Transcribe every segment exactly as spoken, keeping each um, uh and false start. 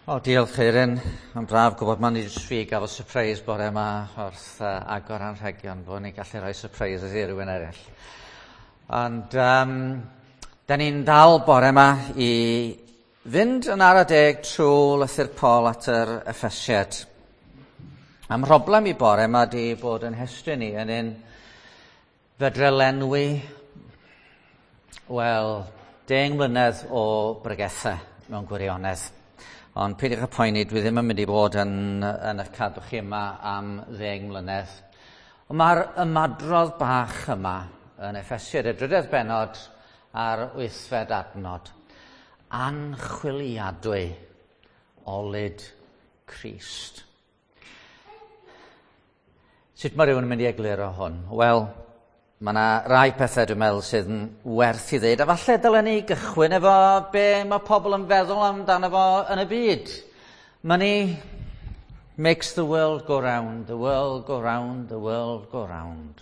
O, diolch Eirin. Mae'n braf gwybod mae'n i fi gael surprise bore yma wrth uh, agor anrhegion, bod ni'n gallu rhoi surprises i rywun eraill. Ond um, da ni'n dal bore yma i fynd yn ara deg trwy lythyr Paul at yr Effesiad. Am broblem i bore yma di bod yn hestyn ni yn un fedre lenwi, wel, deng mlynedd o bregethau mewn gwirionedd. Ond peidiwch â poeni, dwi ddim yn mynd i fod yn, yn eich cadw chi yma am ddeng mlynedd. Ond mae'r ymadrodd bach yma yn Effesiad, y drydedd bennod a'r wythfed adnod. Anchwiliadwy olud Crist. Sut mae rhywun yn mynd i egluro hwn? Wel, mae yna rai pethau dwi'n meddwl sydd yn werth i ddeud, a falle dylen ni gychwyn efo be mae pobl yn feddwl amdano fo yn y byd. Money makes the world go round, the world go round, the world go round.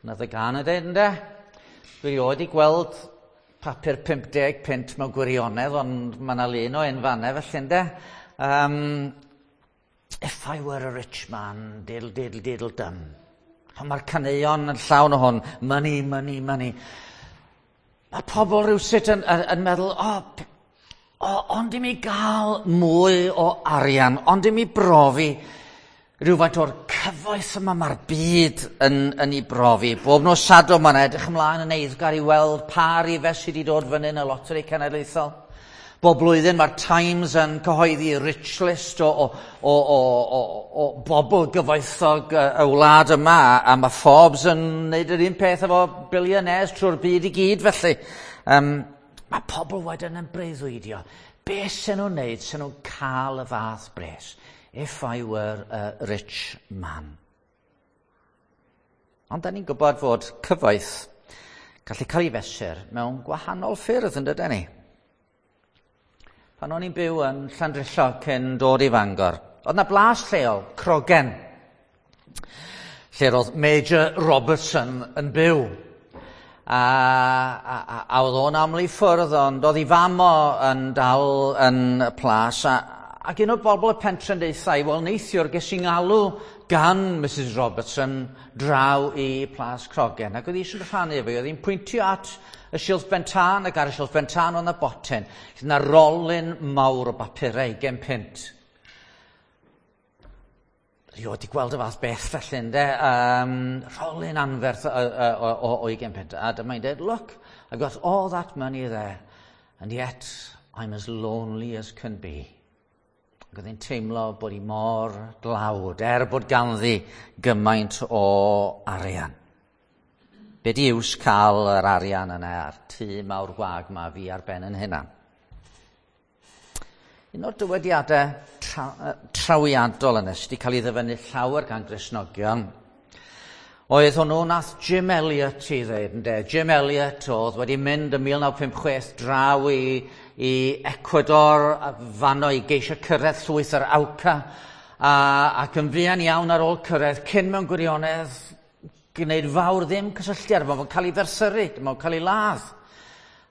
Dyna y gân yn dweud, ynde? Dwi erioed 'di gweld papur pum deg punt mewn gwirionedd, ond mae yna lun o un fanna felly, ynde? Um, if I were a rich man, diddle diddle diddle dum. Ond mae'r caneuon yn llawn o hwn. Money, money, money. Mae pobl rhywsut yn, yn, yn meddwl, o, oh, oh, ond i mi gael mwy o arian, ond i mi brofi rhywfaint o'r cyfoeth yma mae'r byd yn, yn ei brofi. Bob nos Sadwrn mae'n edrych ymlaen yn eiddgar i weld pa rifau sydd wedi dod fyny yn y loteri cenedlaethol. Bob blwyddyn mae'r Times yn cyhoeddi rich list o, o, o, o, o, o bobl gyfoethog y, y wlad yma, a mae Forbes yn gwneud yr un peth efo billionaires trwy'r byd i gyd felly. Um, mae pobl wedyn yn breuddwydio. Be sy'n nhw'n wneud sy'n nhw'n cael y fath bres? If I were a rich man. Ond da ni'n gwybod fod cyfoeth gallu cael ei fesur mewn gwahanol ffyrdd, yn dydyn ni? Pan o'n i'n byw yn Llandrillo cyn dod i Fangor, oedd na blas lleol, Crogen, lle roedd Major Robertson yn byw. A, a, a, a oedd o'n aml i ffwrdd, ond oedd ei fam o yn dal yn y plas. A, ac un o'r bobl y pentre'n deutha i, "Wel, neithiwr ges i ngalw gan Missus Robertson draw i Plas Crogen." Ac oedd hi eisiau rhannu efo, oedd hi'n pwyntio at y silff ben tân, ac ar y silff ben tân oedd yna botyn. Lle yna rolyn mawr o bapurau, ugain punt. Rioed 'di gweld y fath beth felly, ynde? Um, rolyn anferth o, o, o, o ugain punt. A dyma'n dweud, "Look, I've got all that money there, and yet I'm as lonely as can be." Ac oedd hi'n teimlo bod hi mor dlawd, er bod ganddi gymaint o arian. Be di iws cael yr arian yna a'r tŷ mawr gwag ma fi ar ben yn hynna? Un o'r dywediadau tra, trawiadol yna sydd wedi cael ei ddyfynnu llawer gan Gristnogion oedd hwnnw nath Jim Elliot i ddweud, ynde? Jim Elliot oedd wedi mynd yn mil naw pump chwech draw i, i Ecuador, fanno i geisio cyrraedd llwyth yr Auca, a, ac yn fuan iawn ar ôl cyrraedd, cyn mewn gwirionedd gwneud fawr ddim cysylltiad, mae'n cael ei ferthyru, mae'n cael ei ladd.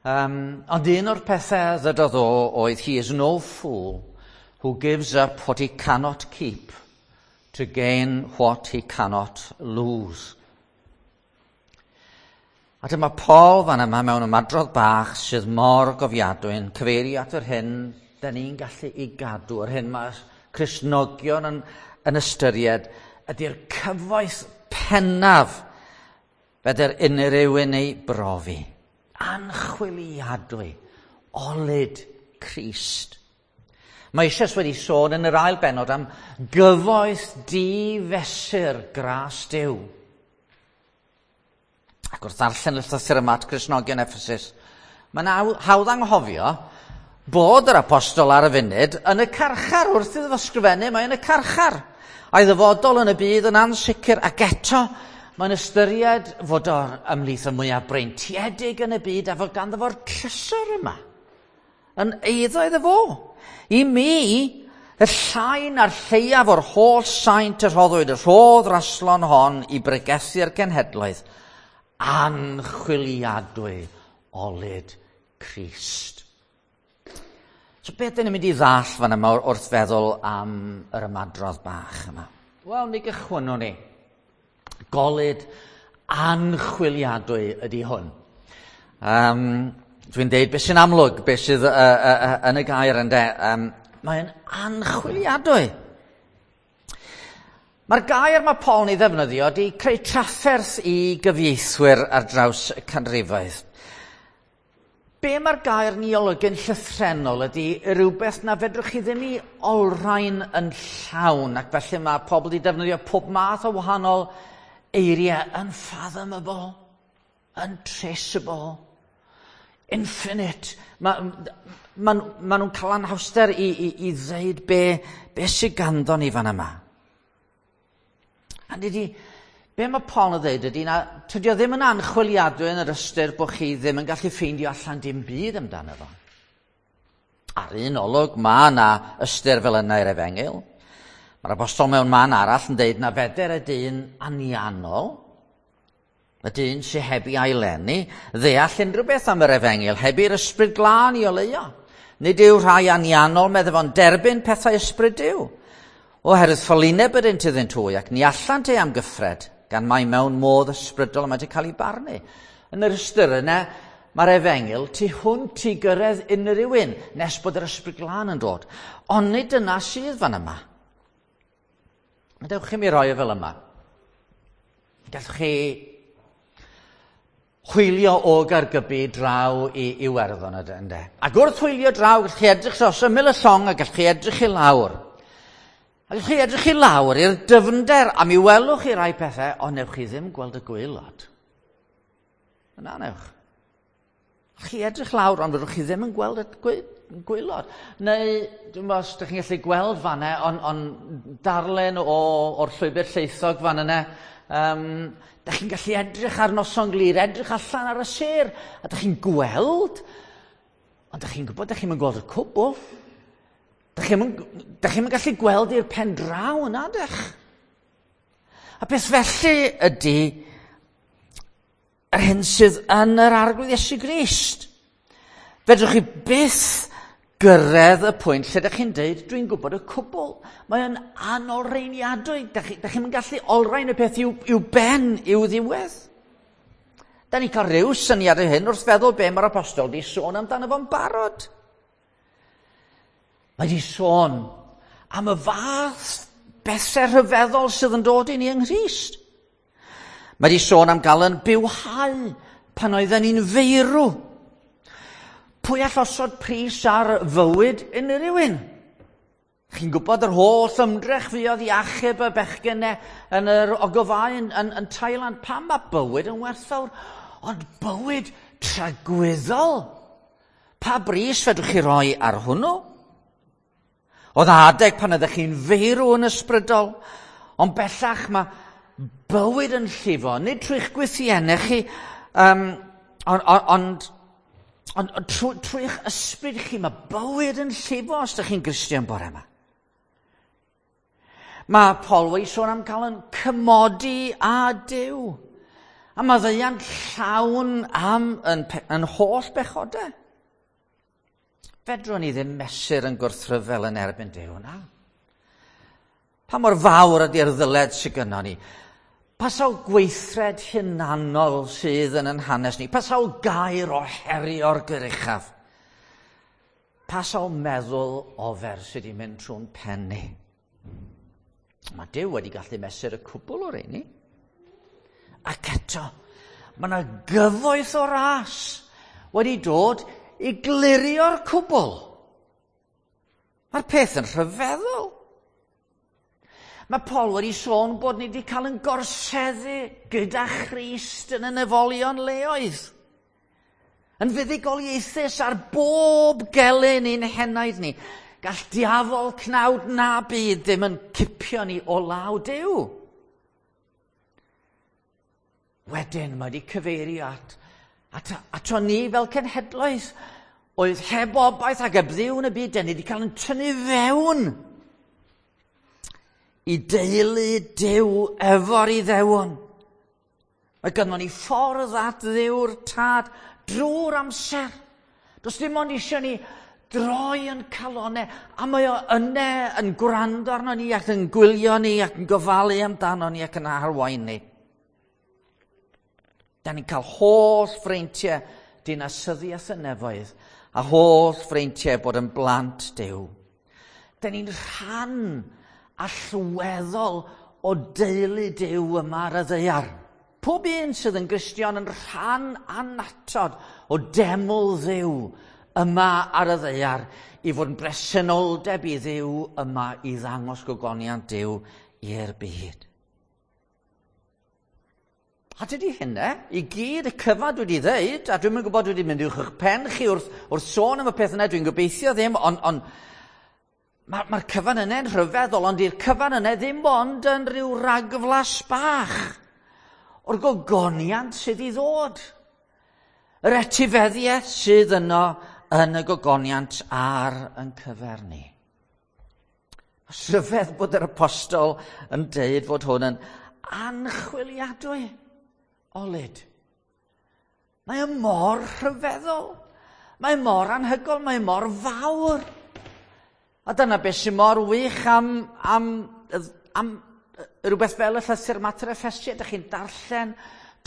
Um, ond un o'r pethau ddydodd o oedd, "He is no fool who gives up what he cannot keep to gain what he cannot lose." A dyma Paul fan yma mewn ymadrodd bach sydd mor gofiadwy yn cyfeirio at yr hyn da ni'n gallu i gadw, yr hyn mae Cristnogion yn, yn ystyried ydy'r cyfoeth pennaf fedr unrhyw un ei brofi. Anchwiliadwy, olud Crist. Mae eisoes wedi sôn yn yr ail benod am gyfoeth difesur gras Duw. Ac wrth ddarllen y llythyr yma at Gristnogion Ephesus, mae'n hawdd anghofio bod yr apostol ar y funud yn y carchar. Wrth iddo fo sgrifennu, mae yn y carchar. A'i ddyfodol yn y byd yn ansicr, ac eto mae'n ystyried fod o'r ymhlith y mwyaf breintiedig yn y byd a fod ganddo fo'r trysor yma yn eiddo iddo fo. "I mi, y llai na'r lleiaf o'r holl saint y rhoddwyd y rhodd raslon hon i bregethu'r genhedloedd, anchwiliadwy olud Crist." So beth dyn ni'n mynd i ddall fan yma wrth feddwl am yr ymadrodd bach yma? Wel, mi gychwynnwn ni. Golud anchwiliadwy ydy hwn. Um, dwi'n deud beth sy'n amlwg, beth sydd uh, uh, uh, yn y gair ynde. Um, mae'n anchwiliadwy. Mae'r gair mae Paul yn ei ddefnyddio wedi creu trafferth i gyfieithwyr ar draws y canrifoedd. Be mae'r gair ni olygu'n llythrennol ydy rhywbeth na fedrwch chi ddim i olrhain yn llawn, ac felly mae pobl wedi defnyddio pob math o wahanol eiriau: unfathomable, untraceable, infinite. Mae ma, ma nhw'n cael anhawster i, i, i ddeud be, be sydd ganddo ni fan yma. A dydy, be mae Paul yn dweud ydy na tydi o ddim yn anchwiliadwy yn yr ystyr bod chi ddim yn gallu ffeindio allan dim byd amdano fo. Ar un olwg, mae yna ystyr fel yna i'r efengyl. Mae'r apostol mewn man arall yn dweud na feder y dyn anianol, y dyn sy'n heb ei aileni, ddeall unrhyw beth am yr efengyl, heb i'r ysbryd glân i oleuo. Nid yw rhai anianol, medde fo'n, derbyn pethau ysbryd Duw, oherwydd ffolineb ydynt iddynt hwy, ac ni allant ei amgyffred, gan mai mewn modd ysbrydol mae wedi cael ei barnu. Yn yr ystyr yna, mae'r efengyl tu hwnt i gyrraedd unrhyw un nes bod yr ysbryd glân yn dod. Ond nid dyna sydd fan yma. Dewch i mi roi e fel yma. Gallwch chi hwylio o Gaergybi draw i Iwerddon, ynde. Ac wrth hwylio draw, gallwch chi edrych dros ymyl y llong a gallwch chi edrych i lawr. A gallwch chi edrych i lawr i'r dyfnder, a mi welwch chi rai pethau, ond newch chi ddim gweld y gwaelod. Yna newch. Chi edrych lawr, ond fyddwch chi ddim yn gweld y gwaelod. Neu, dwi'n meddwl os ydych chi'n gallu gweld fanna, ond on darllen o, o'r llwybr llaethog fan yna, um, dych chi'n gallu edrych ar noson glir, edrych allan ar y sêr, a dych chi'n gweld, ond dych chi'n gwybod, dych chi'n gweld y cwbl. Dych chi'n chi'n gallu gweld i'r pen draw yna, dych? A beth felly ydy yr hyn sydd yn yr Arglwydd Iesu Grist. Fedrwch chi byth gyrraedd y pwynt lle dych chi'n deud, dwi'n gwybod y cwbl. Mae yn anolreiniadwy. Dych chi'n chi gallu olrhain y peth i'w, i'w ben, i'w ddiwedd. Da ni'n cael rhyw syniad o hyn wrth feddwl be mae'r apostol di sôn amdano fo'n barod. Mae di sôn am y fath bethau rhyfeddol sydd yn dod i ni yng Nghrist. Mae di sôn am gael yn bywhau pan oedden ni'n feirw. Pwy all osod pris ar fywyd unrhyw un? Chi'n gwybod yr holl ymdrech fuodd i achub y bechgyn yn yr ogofau yn, yn, yn Thailand. Pam mae bywyd yn werthfawr? Ond bywyd tragwyddol. Pa bris fedrwch chi roi ar hwnnw? Oedd adeg pan ydych chi'n feirw yn ysbrydol, ond bellach mae bywyd yn llifo, nid trwy'ch gwythiennau chi, um, ond, ond, ond, ond trwy, trwy'ch ysbryd chi, mae bywyd yn llifo os ydych chi'n Gristion bore yma. Mae Paul wedi sôn am cael yn cymodi â Duw, a mae ddeian llawn am yn, yn holl bechodau. Fedrwn ni ddim mesur yn gwrthryfel yn erbyn Duw, na. Pa mor fawr ydy'r ddyled sydd gynnon ni? Pa sawl gweithred hunanol sydd yn yn hanes ni? Pa sawl gair o herio'r gyruchaf? Pa sawl meddwl ofer sydd wedi mynd trwy'n pen ni? Mae Duw wedi gallu mesur y cwbl o'r ein ni. Ac eto, mae yna gyfoeth o ras wedi dod i glirio'r cwbl. Mae'r peth yn rhyfeddol. Mae Paul wedi sôn bod ni wedi cael yn gorseddu gyda Christ yn y nefolion leoedd. Yn fuddugoliaethus ar bob gelyn i'n henaid ni. Gall diafol cnawd na byd ddim yn cipio ni o law Duw. Wedyn mae wedi cyfeirio at, at, ato ni fel cenhedloedd oedd heb obaith ac heb Dduw yn y byd, ni wedi cael yn tynnu fewn i deulu Duw efo'r Iddewon. Mae gynnon ni ffordd at Dduw'r Tad drwy'r amser. Does dim ond eisiau ni droi yn calonau, a mae o yne yn gwrando arno ni ac yn gwylio ni ac yn gofalu amdano ni ac yn arwain ni. Da ni'n cael holl freintiau dinasyddiaeth y nefoedd a holl freintiau bod yn blant Duw. Da ni'n rhan allweddol o deulu Duw yma ar y ddaear. Pob un sydd yn Gristion yn rhan annatod o deml Dduw yma ar y ddaear i fod yn bresenoldeb i Dduw yma i ddangos gogoniant Duw i'r byd. A dydy hynna, i gyd y cyfan dwi wedi ddeud, a dwi'm yn gwybod dwi wedi mynd uwch eich pen chi wrth, wrth sôn am y peth yna, dwi'n gobeithio ddim, ond on, mae'r ma cyfan yna'n rhyfeddol, ond i'r cyfan yna ddim ond yn rhyw ragflas bach o'r gogoniant sydd i ddod. Yr etifeddiaeth sydd yno yn y gogoniant ar yn cyfer ni. Rhyfedd bod yr apostol yn deud fod hwn yn anchwiliadwy olud. Mae o mor rhyfeddol. Mae mor anhygoel, mae mor fawr. A dyna beth sy'n mor wych am, am, am rhywbeth fel y llythyr mater Effesiaid. Ydych chi'n darllen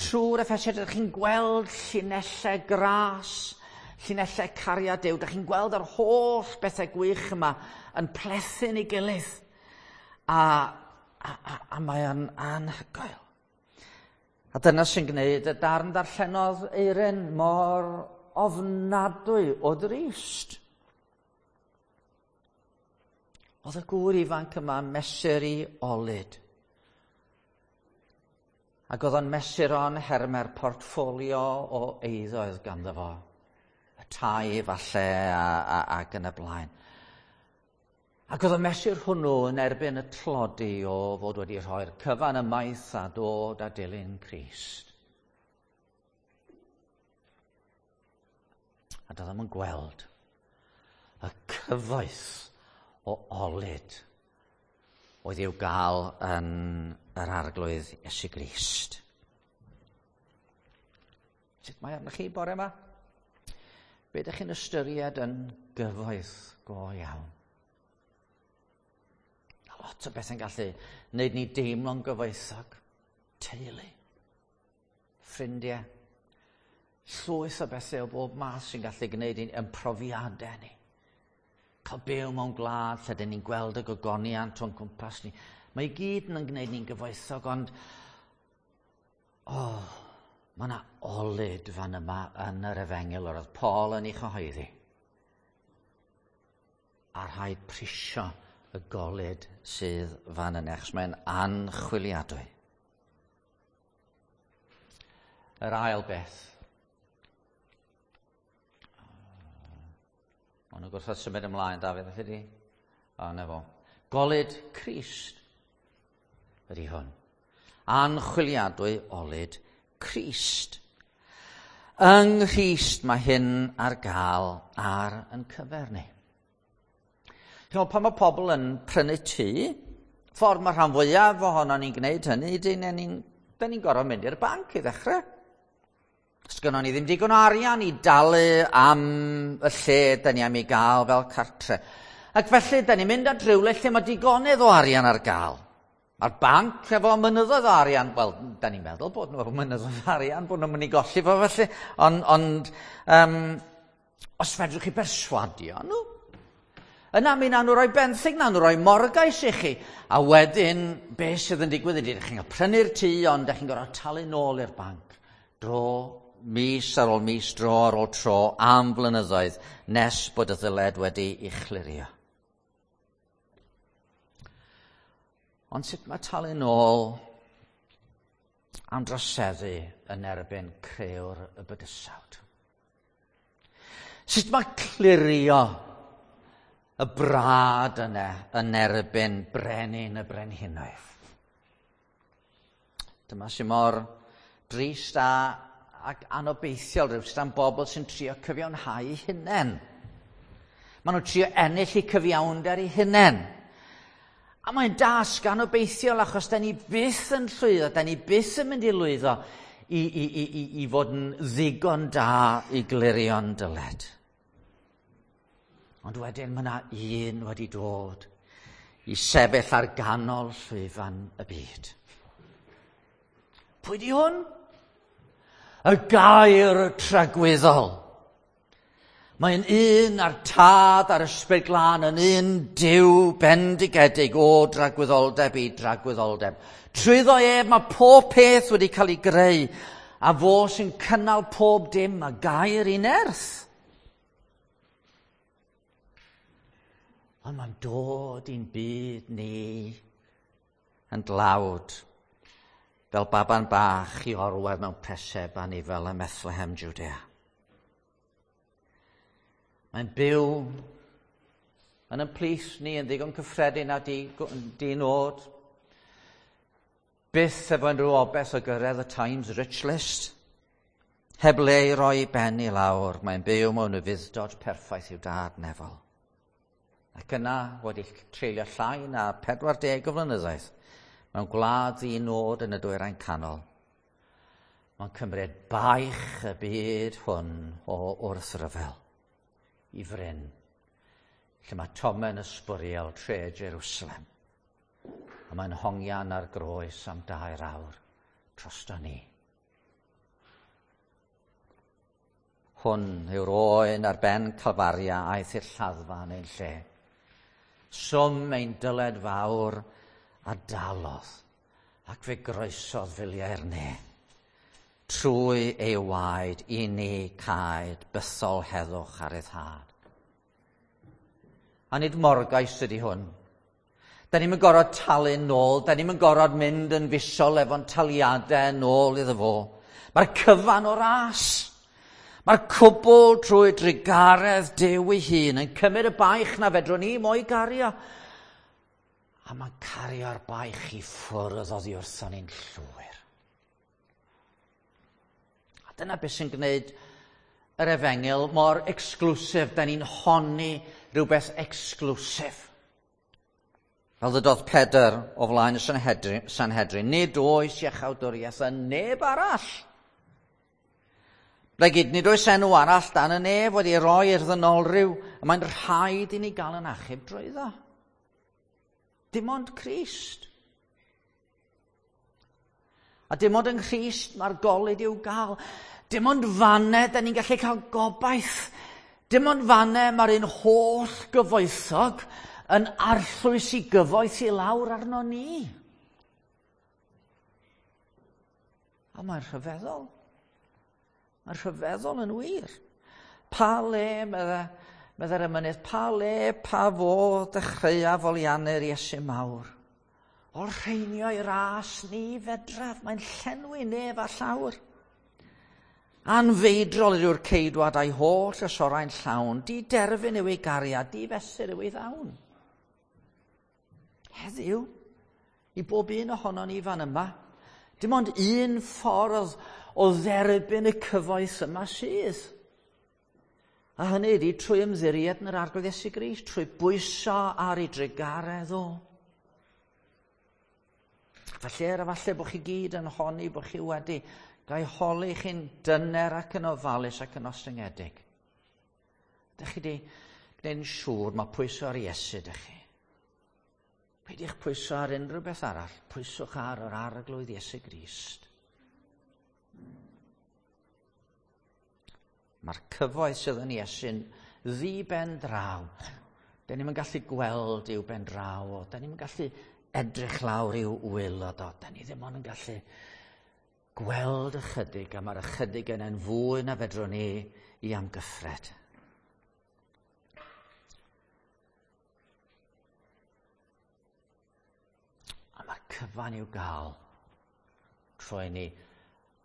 trwy'r Effesiaid, ydych chi'n gweld llinellau gras, llinellau cariad Duw. Ydych chi'n gweld yr holl bethau gwych yma yn plethu'n ei gilydd. A, a, a, a mae o'n anhygoel. A dyna sy'n gwneud y darn darllenodd Eirin mor ofnadwy o drist. Oedd y gŵr ifanc yma mesur i olud. Ac oedd o'n mesur o'n hermer portffolio o eiddo oedd ganddo fo. Y tai falle a, a, ac yn y blaen. Ac oedd y mesur hwnnw yn erbyn y tlodi o fod wedi rhoi'r cyfan ymaith a dod a dilyn Crist. A doedd o'm yn gweld y cyfoeth o olud oedd i'w gael yn yr Arglwydd Iesu Grist. Sut mae arnoch chi bore yma? Be ydych chi'n ystyried yn gyfoeth go iawn? Lot o bethau'n gallu wneud ni deimlo'n gyfoethog. Teulu, ffrindiau, llwyth o bethau o bob math sy'n gallu gwneud i'n ymprofiadau ni. Cael byw mewn gwlad lle dyn ni'n gweld y gogoniant o'n cwmpas ni. Mae i gyd yn gwneud ni'n gyfoethog, ond oh, mae yna olud fan yma yn yr efengyl yr oedd Paul yn ei chyhoeddi. A rhaid prisio y golud sydd fan yna, achos mae'n anchwiliadwy. Yr ail beth. O'n nhw'n gwrthod symud ymlaen, Dafydd, felly di? O, na fo. Golud Crist ydy hwn. Anchwiliadwy olud Crist. Yng Nghrist mae hyn ar gael ar yn cyfer ni. Chymod, pan mae pobl yn prynu tŷ, ffordd mae rhan fwyaf ohono ni'n gwneud hynny, dyn ni'n ni gorfod mynd i'r banc i ddechrau. Sgynnon ni ddim digon o arian i dalu am y lle dyn ni am ei gael fel cartre. Ac felly, dyn ni'n mynd at rhywle lle mae digonedd o arian ar gael. Mae'r banc efo mynyddoedd o arian, wel, dyn ni'n meddwl bod nhw efo mynyddoedd o arian, bod nhw'n mynd i golli fo felly, ond, ond um, os fedrwch chi berswadio nhw, yna mi nawn nhw roi benthyg, nawn nhw roi morgais i chi. A wedyn, be sydd yn digwydd ydy, ydych chi'n cael prynu'r tŷ, ond ydych chi'n gorfod talu nôl i'r banc. Dro, mis ar ôl mis, dro ar ôl tro, am flynyddoedd, nes bod y ddyled wedi ei chlirio. Ond sut mae talu nôl am droseddu yn erbyn crëwr y bydysawd? Sut mae clirio y brad yna yn erbyn brenin y brenhinoedd? Dyma sy'n mor drist a, ac anobeithiol rhywsut am bobl sy'n trio cyfiawnhau eu hunain. Maen nhw'n trio ennill eu cyfiawnder eu hunain. A mae'n dasg anobeithiol achos da ni byth yn llwyddo, da ni byth yn mynd i lwyddo i, i, i, i, i fod yn ddigon da i glirio'n dyled. Ond wedyn mae yna un wedi dod i sefyll ar ganol llwyfan y byd. Pwy di hwn? Y gair tragwyddol. Mae'n un a'r Tad a'r Ysbryd Glân yn un Duw bendigedig o dragwyddoldeb i dragwyddoldeb. Trwyddo ef mae pob peth wedi cael ei greu, a fo sy'n cynnal pob dim a gair i nerth. Ond mae'n dod i'n byd ni yn dlawd, fel baban bach i orwedd mewn preseb anifel ym Methlehem, Judea. Mae'n byw yn ein plith ni yn ddigon cyffredin a di-nod. Byth efo unrhyw obaith o gyrraedd y Times Rich List. Heb le i roi ben i lawr, mae'n byw mewn ufudd-dod perffaith i'w dad nefol. Ac yna wedi treulio llai na pedwar deg o flynyddoedd mewn gwlad ddi-nod yn y dwyrain canol. Mae'n cymryd baich y byd hwn o wrthryfel i fryn, lle mae tomen ysbwriel tre Jerusalem. A mae'n hongian ar groes am dair awr drosto ni. Hwn yw'r oen ar ben Calfaria aeth i'r lladdfa yn ein lle. Swm ein dyled fawr a dalodd, ac fe groesodd filiau'r ne. Trwy ei waed i ni caed bythol heddwch ar ei thad. A nid morgais ydy hwn. Da ni'm yn gorfod talu nôl, da ni'm yn gorfod mynd yn fisol efo'n taliadau nôl iddo fo. Mae'r cyfan o ras. Mae'r cwbl trwy drugaredd Duw ei hun yn cymryd y baich na fedrwn ni mo'i gario. A mae'n cario'r baich i ffwrdd oddi wrthon ni'n llwyr. A dyna beth sy'n gwneud yr efengyl mor exclusive. Da ni'n honni rhywbeth exclusive. Fel ddydodd Pedr o flaen y Sanhedrin, Sanhedrin, nid oes iachawdwriaeth yn neb arall. Blegid, nid oes enw arall dan y nef wedi roi i'r ddynolryw, a mae'n rhaid i ni gael yn achub drwyddo. Dim ond Crist. A dim ond yng Nghrist mae'r golud i'w gael. Dim ond fanne da ni'n gallu cael gobaith. Dim ond fanne mae'r un holl gyfoethog yn arllwys i gyfoeth i lawr arno ni. A mae'n rhyfeddol. Mae'n rhyfeddol yn wir. Pa le, medde, medde'r emynydd, pa le, pa fodd dechreuaf foliannu'r Iesu mawr. O'r rheinio i ras ni fedraf, mae'n llenwi nef a llawr. Anfeidrol yw'r ceidwad a'i holl ysorau'n llawn, di derfyn yw ei gariad, di fesur yw ei ddawn. Heddiw, i bob un ohonon ni fan yma, dim ond un ffordd o dderbyn y cyfoeth yma sydd. A hynny ydy trwy ymddiried yn yr Arglwydd Iesu Grist, trwy bwyso ar ei drugaredd o. Falle, a falle bod chi gyd yn honni bod chi wedi gael holi chi'n dyner ac yn ofalus ac yn ostyngedig. Dych chi wedi gwneud yn siŵr mae pwyso ar Iesu dych chi. Peidiwch pwyso ar unrhyw beth arall, pwyswch ar yr Arglwydd Iesu Grist. Mae'r cyfoeth sydd yn Iesu'n ddi-ben draw. Da ni'm yn gallu gweld i'w ben draw o, da ni'm yn gallu edrych lawr i'w waelod o, da ni ddim ond yn gallu gweld ychydig, a mae'r ychydig yna'n fwy na fedrwn ni i amgyffred. A mae'r cyfan i'w gael trwy ni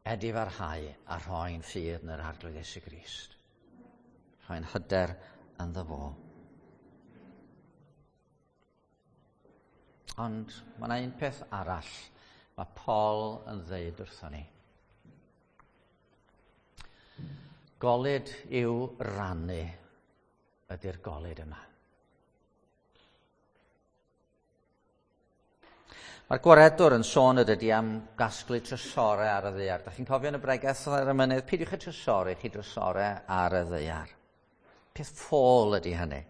edifarhau a rhoi'n ffydd yn yr Arglwydd Iesu Grist. Rhoi'n hyder ynddo fo. Ond mae yna un peth arall mae Paul yn ddeud wrthon ni. Golud i'w rannu ydy'r golud yma. Mae'r gwaredwr yn sôn ydy am gasglu trysorau ar y ddaear. Da chi'n cofio yn y bregeth ar y mynydd, peidiwch â trysori, chi drysorau ar y ddaear. Peth ffôl ydy hynny.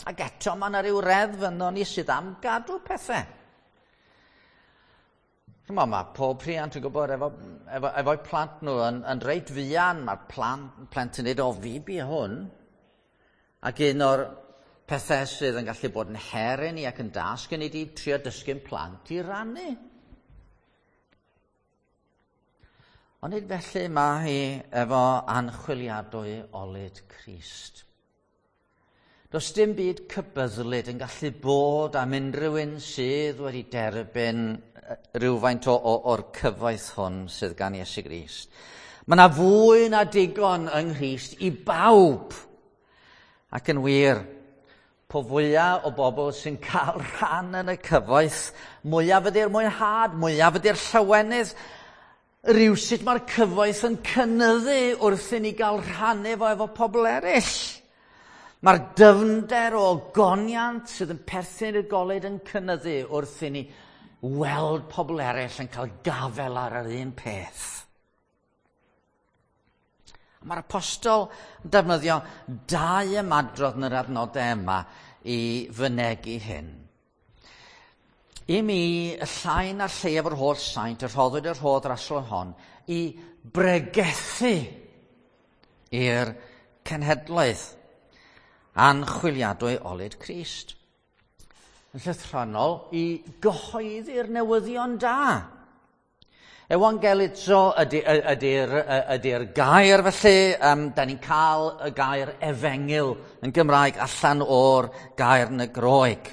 Ac eto mae yna ryw reddf yno ni sydd am gadw pethau. Chymod, mae pob rhiant yn gwybod efo, efo, efo'u plant nhw yn, yn reit fuan, mae'r plant, plentyn dweud, o fi bu hwn. Ac un o'r pethau sydd yn gallu bod yn her i ni ac yn dasg i ni di trio dysgu'n plant i rannu. Ond nid felly mae hi efo anchwiliadwy olud Crist. Does dim byd cybyddlyd yn gallu bod am unrhyw un sydd wedi derbyn rhywfaint o, o, o'r cyfoeth hwn sydd gan Iesu Grist. Mae yna fwy na digon yng Nghrist i bawb. Ac yn wir, po fwyaf o bobl sy'n cael rhan yn y cyfoeth, mwyaf ydy'r mwynhad, mwyaf ydy'r llawenydd. Rywsut mae'r cyfoeth yn cynyddu wrth i ni gael rhannu fo efo pobl eraill. Mae'r dyfnder o ogoniant sydd yn perthyn i'r golud yn cynyddu wrth i ni weld pobl eraill yn cael gafel ar yr un peth. Mae'r apostol yn defnyddio dau ymadrodd yn yr adnodau yma i fynegi hyn. I mi, y llai na'r lleiaf o'r holl saint, y rhoddwyd y rhodd rasol hon, i bregethu i'r cenhedloedd anchwiliadwy olud Crist. Yn llythrennol, i gyhoeddi'r newyddion da. Ewangelizo ydy'r ydy, ydy, ydy gair felly, um, da ni'n cael y gair efengyl yn Gymraeg allan o'r gair yn y Groeg.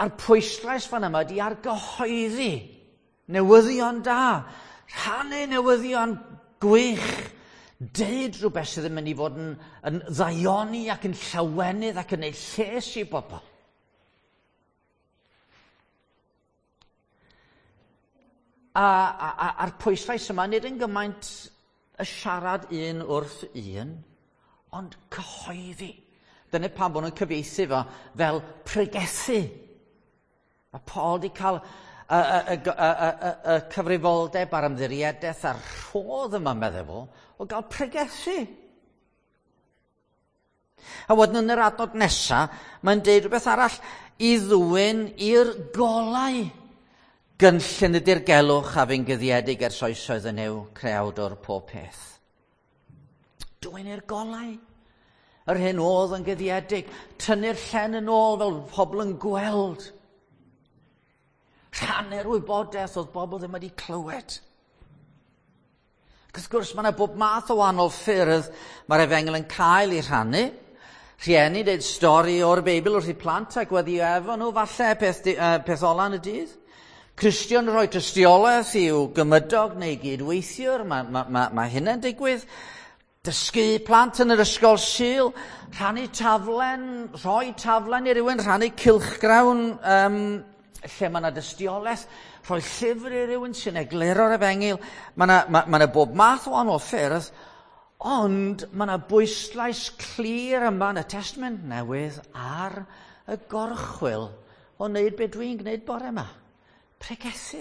A'r pwyslais fan yma ydy ar gyhoeddi newyddion da, rhannu newyddion gwych, deud rhywbeth sydd yn mynd i fod yn, yn ddaioni ac yn llawenydd ac yn ei lles i bobl. A, a, a, a'r pwyslais yma nid yn gymaint y siarad un wrth un, ond cyhoeddi. Dyna pam bod nhw'n cyfieithu fo fel pregethu. Mae Paul wedi cael y, y, y, y, y, y cyfrifoldeb a'r ymddiriedaeth a'r rhodd yma, meddwl fo, o gael pregethu. A wedyn yn yr adnod nesaf, mae'n deud rhywbeth arall, i ddwyn i'r golau. Gynllun y dirgelwch a fu'n guddiedig ers oesoedd yn yw creawdwr pob peth. Dwyn i'r golau. Yr hyn oedd yn guddiedig. Tynnu'r llen yn ôl fel pobl yn gweld. Rhannu'r wybodaeth oedd bobl ddim wedi clywed. Ac wrth gwrs, mae yna bob math o wahanol ffyrdd mae'r efengyl yn cael ei rhannu. Rhieni deud stori o'r Beibl wrth i plant a gweddio efo nhw falle peth, uh, peth ola yn y dydd. Cristion rhoi tystiolaeth i'w gymydog neu gydweithiwr, mae, mae, mae, mae hynna'n digwydd. Dysgu plant yn yr ysgol Sul, rhannu taflen, rhoi taflen i rywun, rhannu cylchgrawn um, lle mae yna dystiolaeth, rhoi llyfr i rywun sy'n egluro'r efengyl. Mae yna, mae, mae yna bob math o wahanol ffyrdd, ond mae yna bwyslais clir yma yn y Testament Newydd ar y gorchwyl o wneud be dwi'n gwneud bore yma. Pregethu.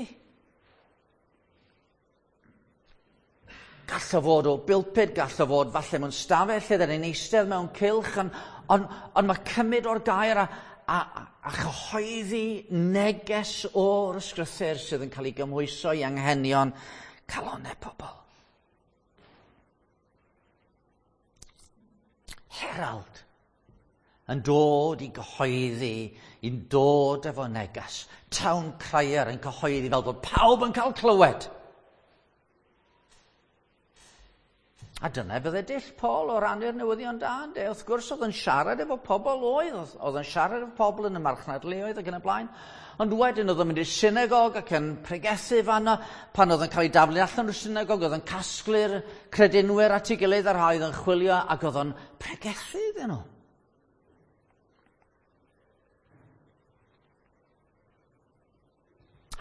Gall o fod o bilpid, gall o fod falle mewn stafell lle dyn ni'n eistedd mewn cylch, ond on, on mae cymryd o'r gair a, a, a chyhoeddi neges o'r ysgrythur sydd yn cael ei gymhwyso i anghenion calonnau pobl. Herald yn dod i gyhoeddi, yn dod efo neges. Town crier yn cyhoeddi fel bod pawb yn cael clywed. A dyna fydde dull Paul o rannu'r newyddion da, ynde? Wrth gwrs oedd yn siarad efo pobl oedd, oedd yn siarad efo pobl yn y marchnadleoedd ac yn y blaen. Ond wedyn oedd yn mynd i'r synagog ac yn pregethu fanno. Pan oedd yn cael ei daflu allan o'r synagog, oedd yn casglu'r credinwyr at ei gilydd a'r rhai oedd yn chwilio ac oedd yn pregethu iddyn nhw.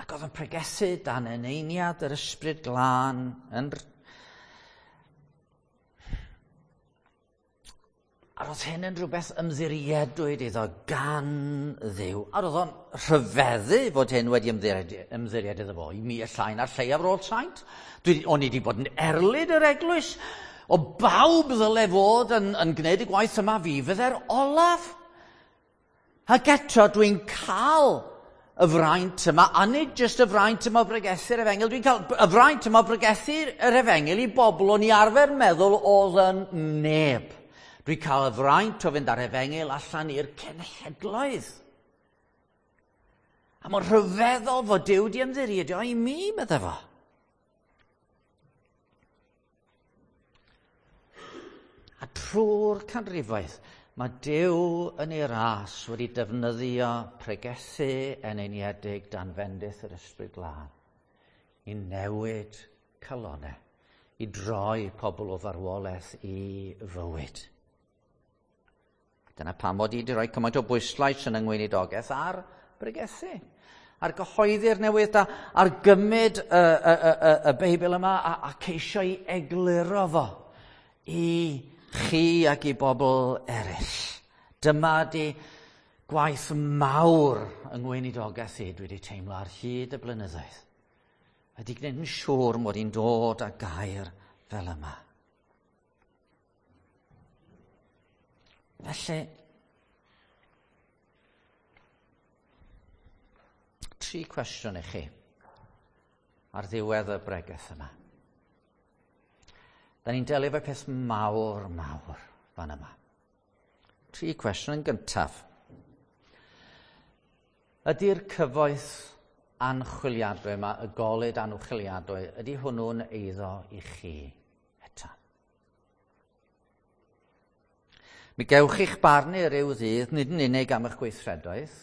Ac oedd yn pregethu dan eneiniad yr ysbryd glân yn. A roedd hyn yn rhywbeth ymddiriedwyd iddo gan Dduw. A roedd o'n rhyfeddu fod hyn wedi ymddiried, ymddiried iddo fo. I mi y llai na'r lleiaf o'r holl saint. Dwi, o'n i wedi bod yn erlid yr eglwys. O bawb ddyle fod yn, yn gwneud y gwaith yma, fi fydde'r olaf. Ac eto dwi'n cael y fraint yma, a nid jyst y fraint yma o bregethu'r efengyl, dwi'n cael y fraint yma o bregethu'r efengyl i bobl o'n i arfer meddwl oedd yn neb. Dwi'n cael y fraint o fynd ar efengyl allan i'r cenhedloedd. A mae'n rhyfeddol fod Duw di ymddiried i mi, medde fo. A trwy'r canrifoedd, mae Duw yn ei ras wedi defnyddio pregethu eneiniedig dan fendith yr Ysbryd Glân i newid calonau, i droi pobl o farwolaeth i fywyd. Dyna pam mod i wedi rhoi cymaint o bwyslais yn yng ngweinidogaeth ar bregethu, ar gyhoeddi'r newydd da, ar gymryd y, y, y, y, y Beibl yma a, a ceisio i egluro fo i chi ac i bobl eraill. Dyma di gwaith mawr yng ngweinidogaeth i dwi wedi teimlo ar hyd y blynyddoedd. Ydy gwneud yn siŵr mod i'n dod â gair fel yma. Felly, tri cwestiwn i chi ar ddiwedd y bregeth yma. Da ni'n delio efo peth mawr, mawr fan yma. Tri cwestiwn yn gyntaf. Ydy'r cyfoeth anchwiliadwy yma, y golud anchwiliadwy, ydy hwnnw'n eiddo i chi eto? Mi gewch chi'ch barnu ryw ddydd, nid yn unig am eich gweithredoedd,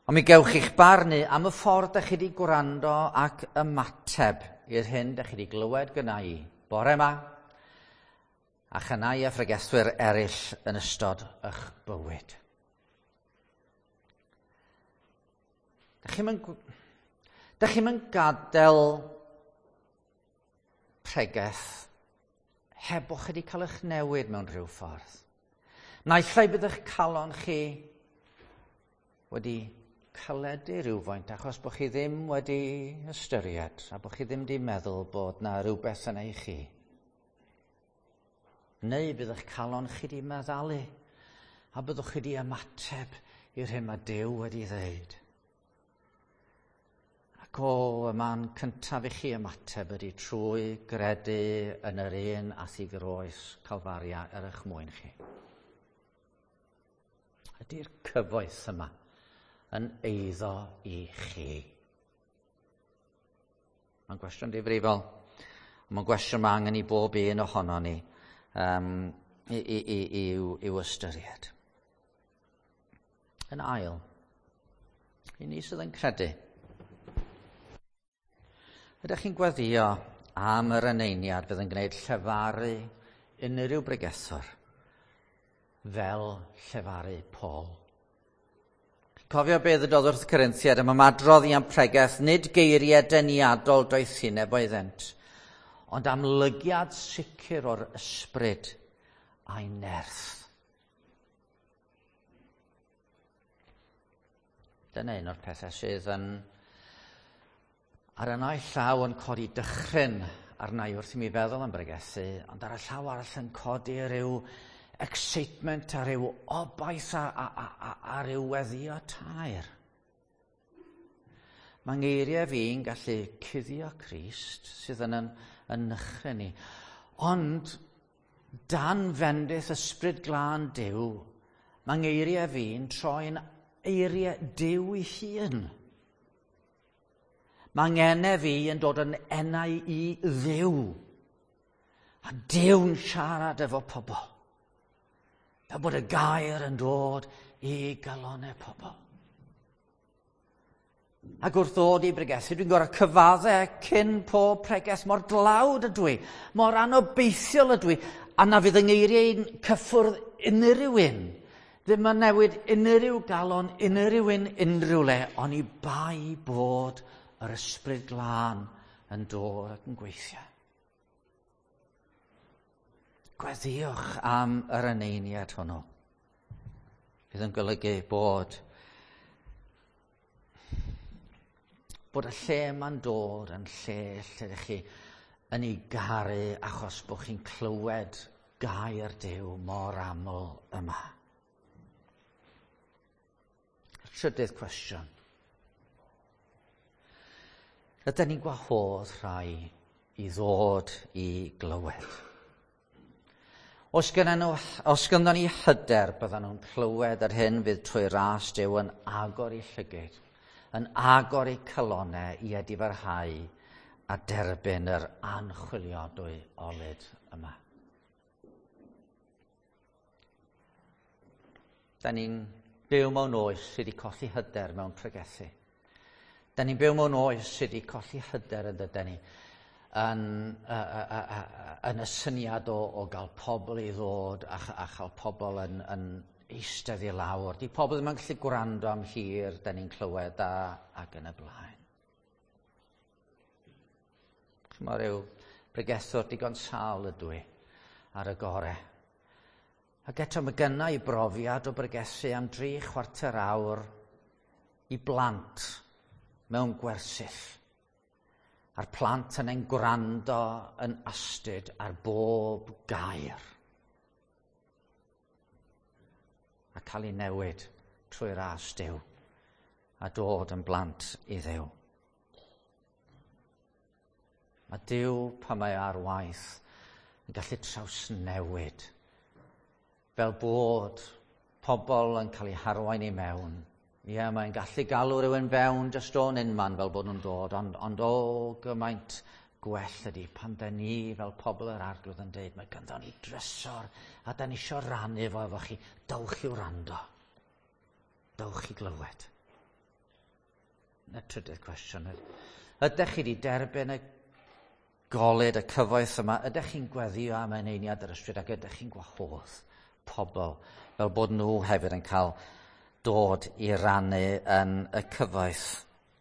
ond mi gewch chi'ch barnu am y ffordd dach chi wedi gwrando ac ymateb i'r hyn dach chi wedi glywed gynna i bore yma, a chynna i a phregethwyr eraill yn ystod eich bywyd. Dach chi'm yn, dach chi'm yn gadael pregeth heb bo' chi wedi cael eich newid mewn rhyw ffordd. Naill ai bydd eich calon chi wedi caledu rhywfaint achos bod chi ddim wedi ystyried a bod chi ddim wedi meddwl bod na rhywbeth yna i chi. Neu bydd eich calon chi wedi meddalu a byddwch chi wedi ymateb i'r hyn mae Duw wedi ddeud. Ac o, y man cyntaf i chi ymateb ydy trwy gredu yn yr un ath i groes Calfaria er eich mwyn chi. Ydy'r cyfoeth yma yn eiddo i chi? Mae'n gwestiwn difrifol. Mae'n gwestiwn mae angen i bob un ohono ni um, i, i, i, i'w, i'w ystyried. Yn ail, i ni sydd yn credu, ydych chi'n gweddïo am yr eneiniad fydd yn gwneud llefaru unrhyw bregethwr fel llefaru Paul? Cofio beth ddywedodd wrth Corinthiaid am ymadrodd i am pregeth, nid geiriau deniadol doethineb oeddent, ond amlygiad sicr o'r ysbryd a'i nerth. Dyna un o'r pethau sydd yn ar y naill llaw yn codi dychryn arna i wrth i mi feddwl am bregethu, ond ar y llaw arall yn codi rhyw excitement a rhyw obaith a, a, a, a, a rhyw weddio taer. Mae ngeiriau fi'n gallu cuddio Crist sydd yn yn, yn nychryn ni. Ond dan fendith ysbryd glân Duw, mae ngeiriau fi'n troi'n eiriau Duw ei hun. Mae ngenau fi yn dod yn enau i Dduw. A Duw'n siarad efo pobl. Fel bod y gair yn dod i galonau pobl. Ac wrth ddod i bregethu, dwi'n gorfod cyfadde cyn pob pregeth mor dlawd ydw i, mor anobeithiol ydw i, a na fydd yng ngeiriau'n cyffwrdd unrhyw un. Ddim yn newid unrhyw galon, unrhyw un, unrhyw le, ond i bai bod yr ysbryd glân yn dod ac yn gweithio. Gweddïwch am yr eneiniad hwnnw. Fydd yn golygu bod bod y lle yma'n dod yn lle lle ydych chi yn ei garu achos bod chi'n clywed gair Duw mor aml yma. Y trydydd cwestiwn. Ydyn ni'n gwahodd rhai i ddod i glywed? Os gynnon nhw, os gynnon ni hyder, byddan nhw'n clywed yr hyn fydd trwy ras Duw yn agor eu llygaid, yn agor eu calonnau i edifarhau a derbyn yr anchwiliadwy olud yma. Da ni'n byw mewn oes sydd wedi colli hyder mewn pregethu. Da ni'n byw mewn oes sydd wedi colli hyder yn dydyn ni, yn, uh, uh, uh, yn y syniad o, o gael pobl i ddod a, a chael pobl yn, yn eistedd i lawr. Di pobl ddim yn gallu gwrando am hir, da ni'n clywed a, ac yn y blaen. Chymod, rhyw bregethwr digon sâl ydw i ar y gore. Ac eto mae gynna i brofiad o bregethu am dri chwarter awr i blant mewn gwersyll. A'r plant yn ein gwrando yn astud ar bob gair. A cael ei newid trwy ras Duw a dod yn blant i Dduw. Mae Duw, pan mae ar waith, yn gallu trawsnewid fel bod pobl yn cael eu harwain i mewn. Ie, mae'n gallu galw rhywun fewn jyst o'n unman fel bod nhw'n dod, ond, ond o gymaint gwell ydy pan da ni fel pobl yr Arglwydd yn deud, mae ganddo ni drysor a da ni isio rannu fo efo chi. Dowch i wrando. Dowch i glywed. Y trydydd cwestiwn. Ydych chi wedi derbyn y golud, y cyfoeth yma? Ydych chi'n gweddio am eneiniad yr ysbryd ac ydych chi'n gwahodd pobl fel bod nhw hefyd yn cael dod i rannu yn y cyfoeth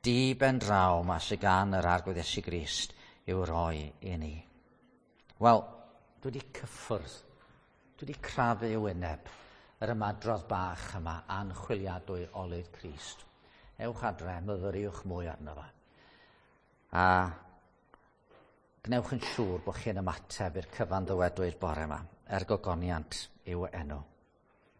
di ben draw ma sydd gan yr Arglwydd Iesu Grist i'w roi i ni? Wel, dwi wedi cyffwrdd, dwi wedi crafu i wyneb yr ymadrodd bach yma, anchwiliadwy olud Crist. Ewch adre, myfyriwch mwy arno fo. A gwnewch yn siŵr bod chi'n ymateb i'r cyfan ddywedwyd bore yma, er gogoniant i'w enw.